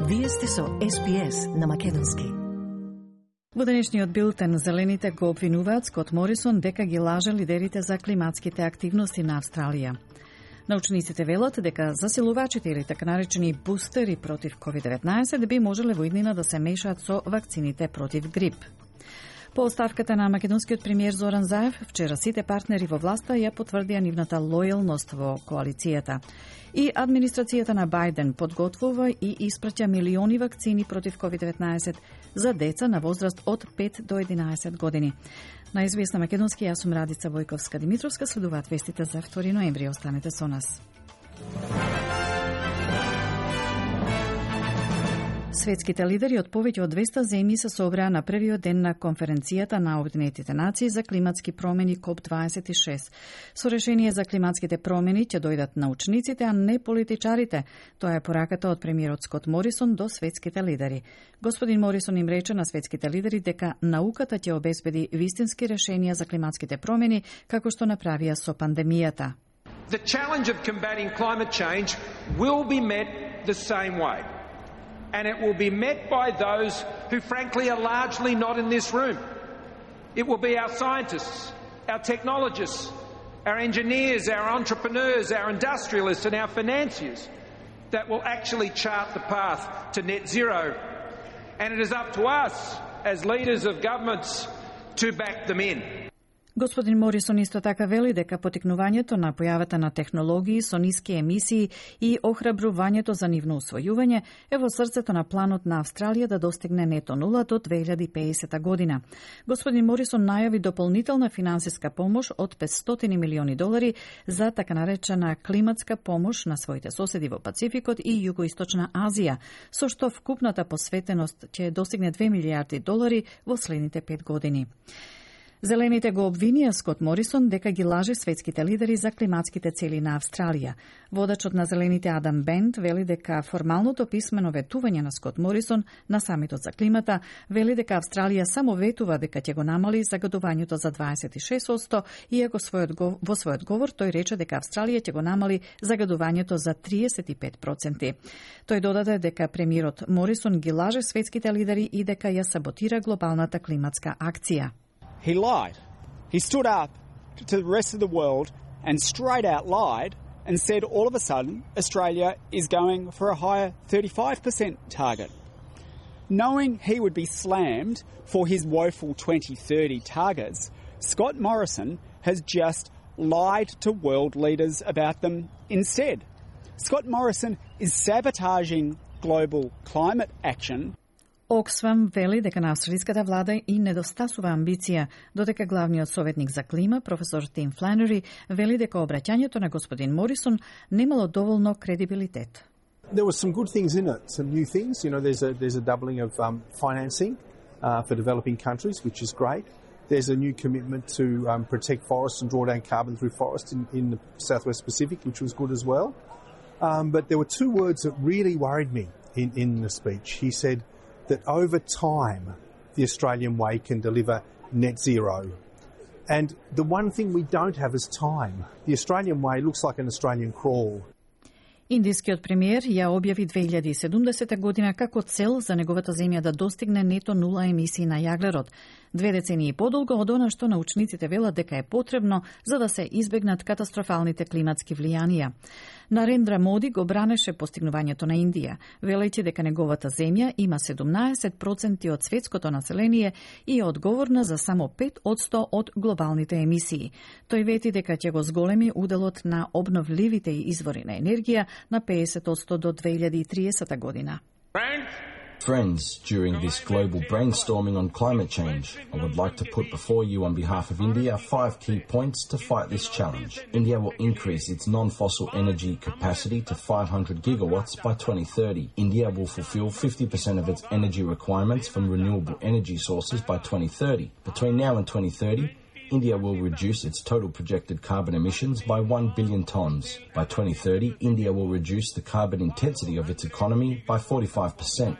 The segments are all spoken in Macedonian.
Вие сте со СПС на македонски. Во денешниот билтен зелените го обвинуваат Скот Морисон дека ги лаже лидерите за климатските активности на Австралија. Научниците велат дека засилувачите или така наречени бустери против COVID-19 би можеле во иднина да се мешаат со вакцините против грип. По оставката на македонскиот премиер Зоран Заев, вчера сите партнери во власта ја потврдија нивната лојалност во коалицијата. И администрацијата на Бајден подготвува и испраќа милиони вакцини против COVID-19 за деца на возраст од 5 до 11 години. На СБС на македонски, јас сум Радица Војковска-Димитровска, следуваат вестите за 2 ноември. Останете со нас. Светските лидери од повеќе од 200 земји се собраа на првиот ден на конференцијата на Обединетите нации за климатски промени КОП26. Со решение за климатските промени ќе дојдат научниците, а не политичарите. Тоа е пораката од премиерот Скот Морисон до светските лидери. Господин Морисон им рече на светските лидери дека науката ќе обезбеди вистински решенија за климатските промени, како што направија со пандемијата. The challenge of combating climate change will be met the same way. And it will be met by those who frankly are largely not in this room. It will be our scientists, our technologists, our engineers, our entrepreneurs, our industrialists and our financiers that will actually chart the path to net zero. And it is up to us as leaders of governments to back them in. Господин Морисон исто така вели дека потикнувањето на појавата на технологии со ниски емисии и охрабрувањето за нивно усвојување е во срцето на планот на Австралија да достигне нето нула до 2050 година. Господин Морисон најави дополнителна финансиска помош од $500 милиони за така наречена климатска помош на своите соседи во Пацификот и Југоисточна Азија, со што вкупната посветеност ќе достигне $2 милијарди во следните 5 години. Зелените го обвинија Скот Морисон дека ги лаже светските лидери за климатските цели на Австралија. Водачот на Зелените Адам Бент вели дека формалното писмено ветување на Скот Морисон на самитот за климата вели дека Австралија само ветува дека ќе го намали загадувањето за 26%, иако во својот говор тој рече дека Австралија ќе го намали загадувањето за 35%. Тој додаде дека премиерот Морисон ги лаже светските лидери и дека ја саботира глобалната климатска акција. He lied. He stood up to the rest of the world and straight out lied and said all of a sudden Australia is going for a higher 35% target. Knowing he would be slammed for his woeful 2030 targets, Scott Morrison has just lied to world leaders about them instead. Scott Morrison is sabotaging global climate action. Оксфам вели дека на австралиската влада и недостасува амбиција, додека главниот советник за клима, професор Тим Фланери, вели дека обраќањето на господин Морисон немало доволно кредибилитет. There were some good things in it, some new things. You know, there's a doubling of financing for developing countries, which is great. There's a new commitment to protect forests and draw down carbon through forests in the Southwest Pacific, which was good as well. But there were two words that really worried me in the speech. He said that over time, the Australian way can deliver net zero. And the one thing we don't have is time. The Australian way looks like an Australian crawl. Индискиот премиер ја објави 2070 година како цел за неговата земја да достигне нето нула емисии на јаглерод. 2 децении подолго од она што научниците велат дека е потребно за да се избегнат катастрофалните климатски влијанија. Нарендра Моди го бранеше постигнувањето на Индија, велејќи дека неговата земја има 17% од светското население и е одговорна за само 5% од глобалните емисии. Тој вети дека ќе го зголеми уделот на обновливите извори на енергија на 50% до 2030 година. Friends, during this global brainstorming on climate change, I would like to put before you on behalf of India 5 key points to fight this challenge. India will increase its non-fossil energy capacity to 500 gigawatts by 2030. India will fulfill 50% of its energy requirements from renewable energy sources by 2030. Between now and 2030, India will reduce its total projected carbon emissions by 1 billion tonnes. By 2030, India will reduce the carbon intensity of its economy by 45%.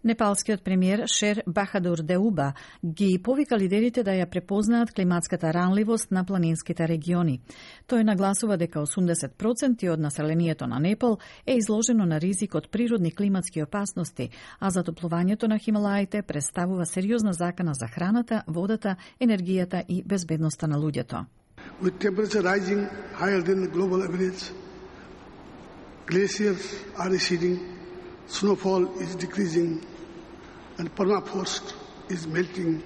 Непалскиот премиер Шер Бахадур Деуба ги повика лидерите да ја препознаат климатската ранливост на планинските региони. Тој нагласува дека 80% од населението на Непал е изложено на ризик од природни климатски опасности, а затоплувањето на Хималаите представува сериозна закана за храната, водата, енергијата и безбедноста на луѓето. With temperature rising higher than the global average, glaciers are receding, snowfall is decreasing, and permafrost is melting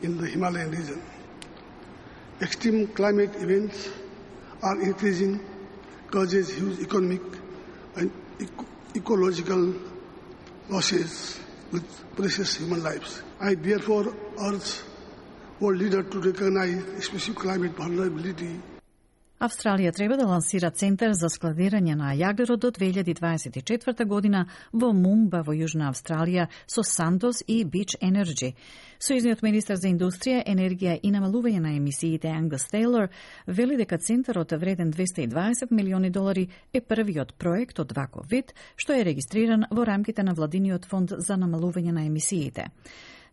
in the Himalayan region. Extreme climate events are increasing, causes huge economic and ecological losses with precious human lives. I therefore urge world leaders to recognize specific climate vulnerability. Австралија треба да лансира центар за складирање на јаглерод до 2024 година во Мумба во Јужна Австралија со Сантос и Beach Energy. Сојузниот министар за индустрија, енергија и намалување на емисиите Ангус Тейлор вели дека центарот вреден $220 милиони е првиот проект од ваков вид, што е регистриран во рамките на владиниот фонд за намалување на емисиите.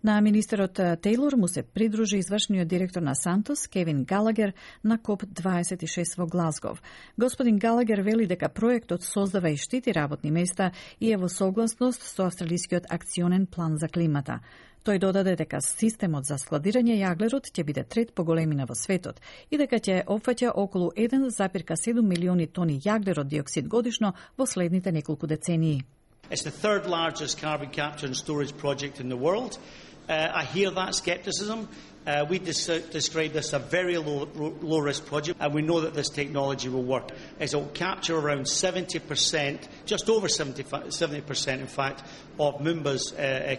На министерот Тейлор му се придружи извршниот директор на Сантос, Кевин Галагер, на КОП-26 во Глазгов. Господин Галагер вели дека проектот создава и штити работни места и е во согласност со австралискиот акционен план за климата. Тој додаде дека системот за складирање јаглерод ќе биде трет по големина во светот и дека ќе опфаќа околу 1,7 милиони тони јаглерод диоксид годишно во следните неколку децении. It's the third largest carbon capture and storage project in the world. I hear that skepticism. We describe this as a very low risk project, and we know that this technology will work. It will capture around 70%, just over 70% in fact, of Mumba's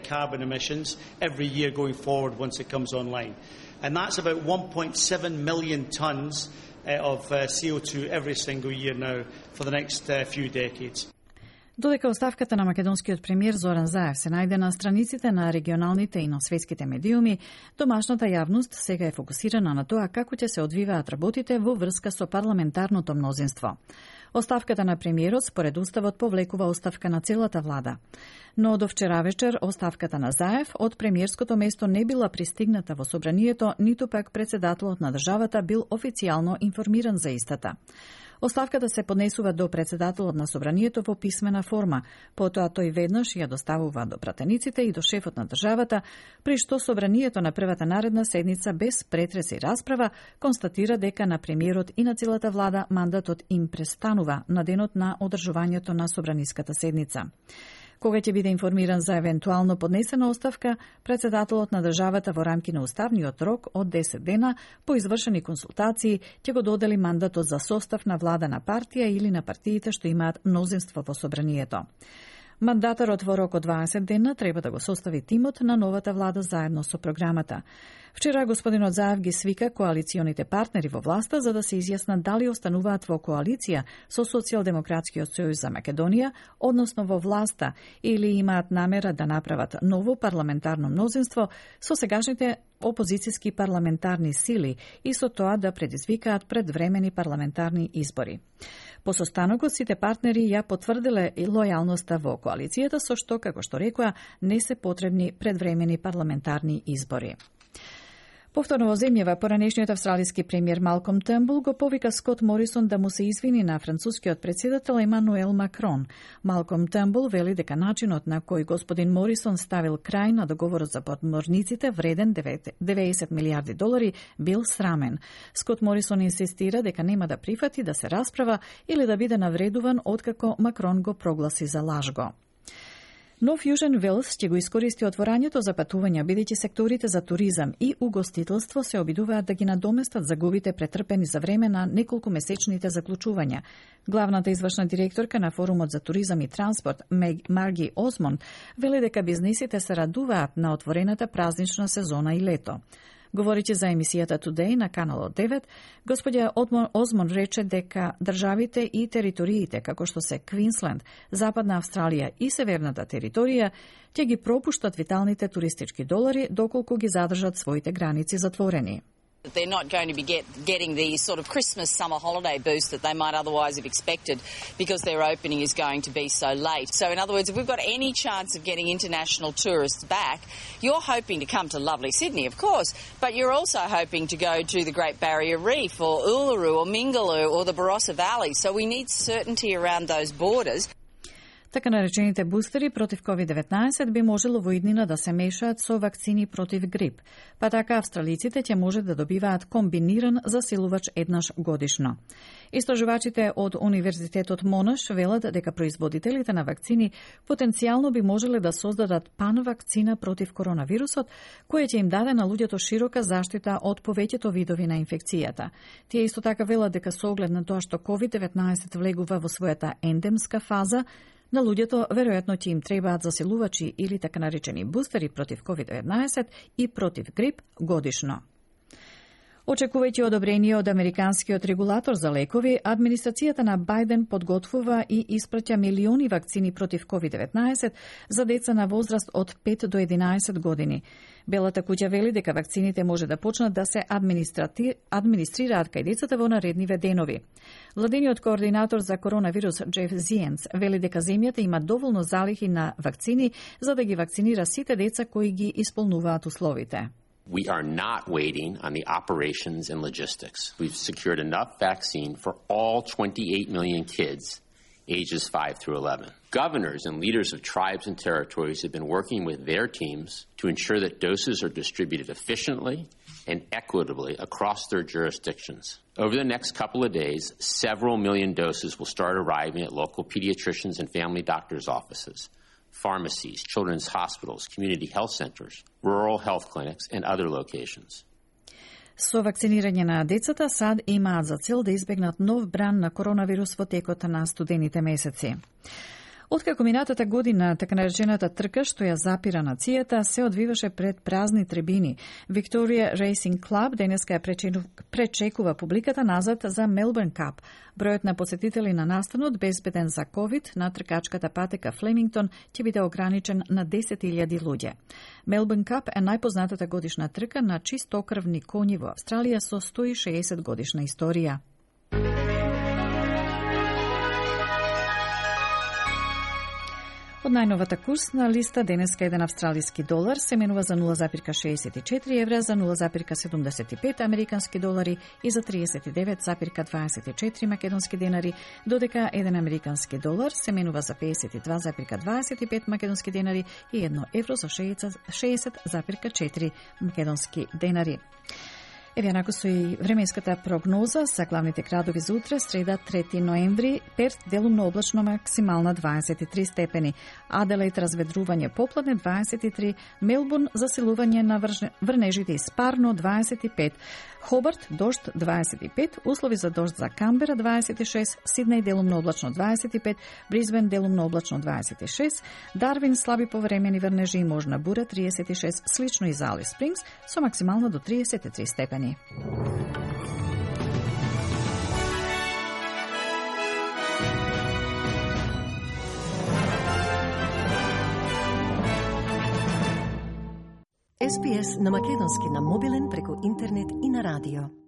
carbon emissions every year going forward once it comes online. And that's about 1.7 million tonnes of CO2 every single year now for the next few decades. Додека оставката на македонскиот премиер Зоран Заев се најде на страниците на регионалните и на светските медиуми, домашната јавност сега е фокусирана на тоа како ќе се одвиваат работите во врска со парламентарното мнозинство. Оставката на премиерот според уставот повлекува оставка на целата влада. Но до вчера вечер оставката на Заев од премиерското место не била пристигната во собранието, ниту пак председателот на државата бил официјално информиран за истата. Оставката се поднесува до председателот на собранието во писмена форма, потоа тој веднаш ја доставува до пратениците и до шефот на државата, при што собранието на првата наредна седница без претрес и расправа констатира дека на премиерот и на целата влада мандатот им престанува на денот на одржувањето на собраниската седница. Кога ќе биде информиран за евентуално поднесена оставка, председателот на државата во рамки на уставниот рок од 10 дена по извршени консултации ќе го додели мандатот за состав на влада на партија или на партиите што имаат мнозинство во собранието. Мандатарот во рок од 20 дена треба да го состави тимот на новата влада заедно со програмата. Вчера господинот Заев ги свика коалиционите партнери во власта за да се изјаснат дали остануваат во коалиција со Социјалдемократскиот сојуз за Македонија, односно во власта, или имаат намера да направат ново парламентарно мнозинство со сегашните опозицијски парламентарни сили и со тоа да предизвикаат предвремени парламентарни избори. По состанокот сите партнери ја потврдиле и лојалноста во коалицијата, со што, како што рекоа, не се потребни предвремени парламентарни избори. Повторно во земјава, поранешниот австралиски премиер Малком Търнбул го повика Скот Морисон да му се извини на францускиот председател Емануел Макрон. Малком Търнбул вели дека начинот на кој господин Морисон ставил крај на договорот за подморниците вреден $90 милиарди бил срамен. Скот Морисон инсистира дека нема да прифати да се расправа или да биде навредуван откако Макрон го прогласи за лажго. Нов Јужен Велс ќе го искористи отворањето за патувања, бидејќи секторите за туризам и угостителство се обидуваат да ги надоместат загубите претрпени за време на неколку месечните заклучувања. Главната извршна директорка на Форумот за туризам и транспорт, Марги Озмон, вели дека бизнисите се радуваат на отворената празнична сезона и лето. Говоричи за емисијата Today на каналот 9, господја Озмон рече дека државите и териториите, како што се Квинсленд, Западна Австралија и Северната територија, ќе ги пропуштат виталните туристички долари доколку ги задржат своите граници затворени. They're not going to be getting the sort of Christmas summer holiday boost that they might otherwise have expected because their opening is going to be so late. So in other words, if we've got any chance of getting international tourists back, you're hoping to come to lovely Sydney, of course, but you're also hoping to go to the Great Barrier Reef or Uluru or Mingaloo or the Barossa Valley. So we need certainty around those borders. Така наречените бустери против COVID-19 би можело во иднина да се мешаат со вакцини против грип, па така австралиците ќе може да добиваат комбиниран засилувач еднаш годишно. Истражувачите од Универзитетот Монаш велат дека производителите на вакцини потенцијално би можеле да создадат панвакцина против коронавирусот, која ќе им даде на луѓето широка заштита од повеќето видови на инфекцијата. Тие исто така велат дека со оглед на тоа што COVID-19 влегува во својата ендемска фаза, на луѓето веројатно ќе им требаат засилувачи или така наречени бустери против COVID-19 и против грип годишно. Очекувајќи одобрение од американскиот регулатор за лекови, администрацијата на Бајден подготвува и испраќа милиони вакцини против COVID-19 за деца на возраст од 5 до 11 години. Белата куќа вели дека вакцините може да почнат да се администрираат кај децата во наредниве денови. Владениот координатор за коронавирус Джеф Зиенц вели дека земјата има доволно залихи на вакцини за да ги вакцинира сите деца кои ги исполнуваат условите. We are not waiting on the operations and logistics. We've secured enough vaccine for all 28 million kids ages 5 through 11. Governors and leaders of tribes and territories have been working with their teams to ensure that doses are distributed efficiently and equitably across their jurisdictions. Over the next couple of days, several million doses will start arriving at local pediatricians and family doctors' offices, pharmacies, children's hospitals, community health centers, rural health clinics, and other locations. Со вакцинирање на децата САД имаат за цел да избегнат нов бран на коронавирус во текот на студените месеци. Откако минатата година така наречената трка што ја запира нацијата се одвиваше пред празни трибини, Victoria Racing Club денеска ја пречекува публиката назад за Melbourne Cup. Бројот на посетители на настанот безбеден за COVID на тркачката патека Флемингтон ќе биде ограничен на 10.000 луѓе. Melbourne Cup е најпознатата годишна трка на чистокрвни коњи во Австралија со 160 годишна историја. Од најновата курсна листа денеска еден австралиски долар се менува за 0,64 евра, за 0,75 американски долари и за 39,24 македонски денари, додека еден американски долар се менува за 52,25 македонски денари и 1 евро за 60,4 македонски денари. Еве нако со и временската прогноза за главните градови за утре, среда 3 ноември, Перт делумно облачно максимална 23 степени, Аделаид разведрување попладне 23, Мелбурн засилување на врнежите и спарно 25, Хобарт дожд 25, услови за дожд за Камбера 26, Сиднеј делумно облачно 25, Брисбен делумно облачно 26, Дарвин слаби повремени врнежи и можна бура 36, слично и за Алис Спрингс со максимална до 33 степени. SPS на македонски на мобилен преку интернет и на радио.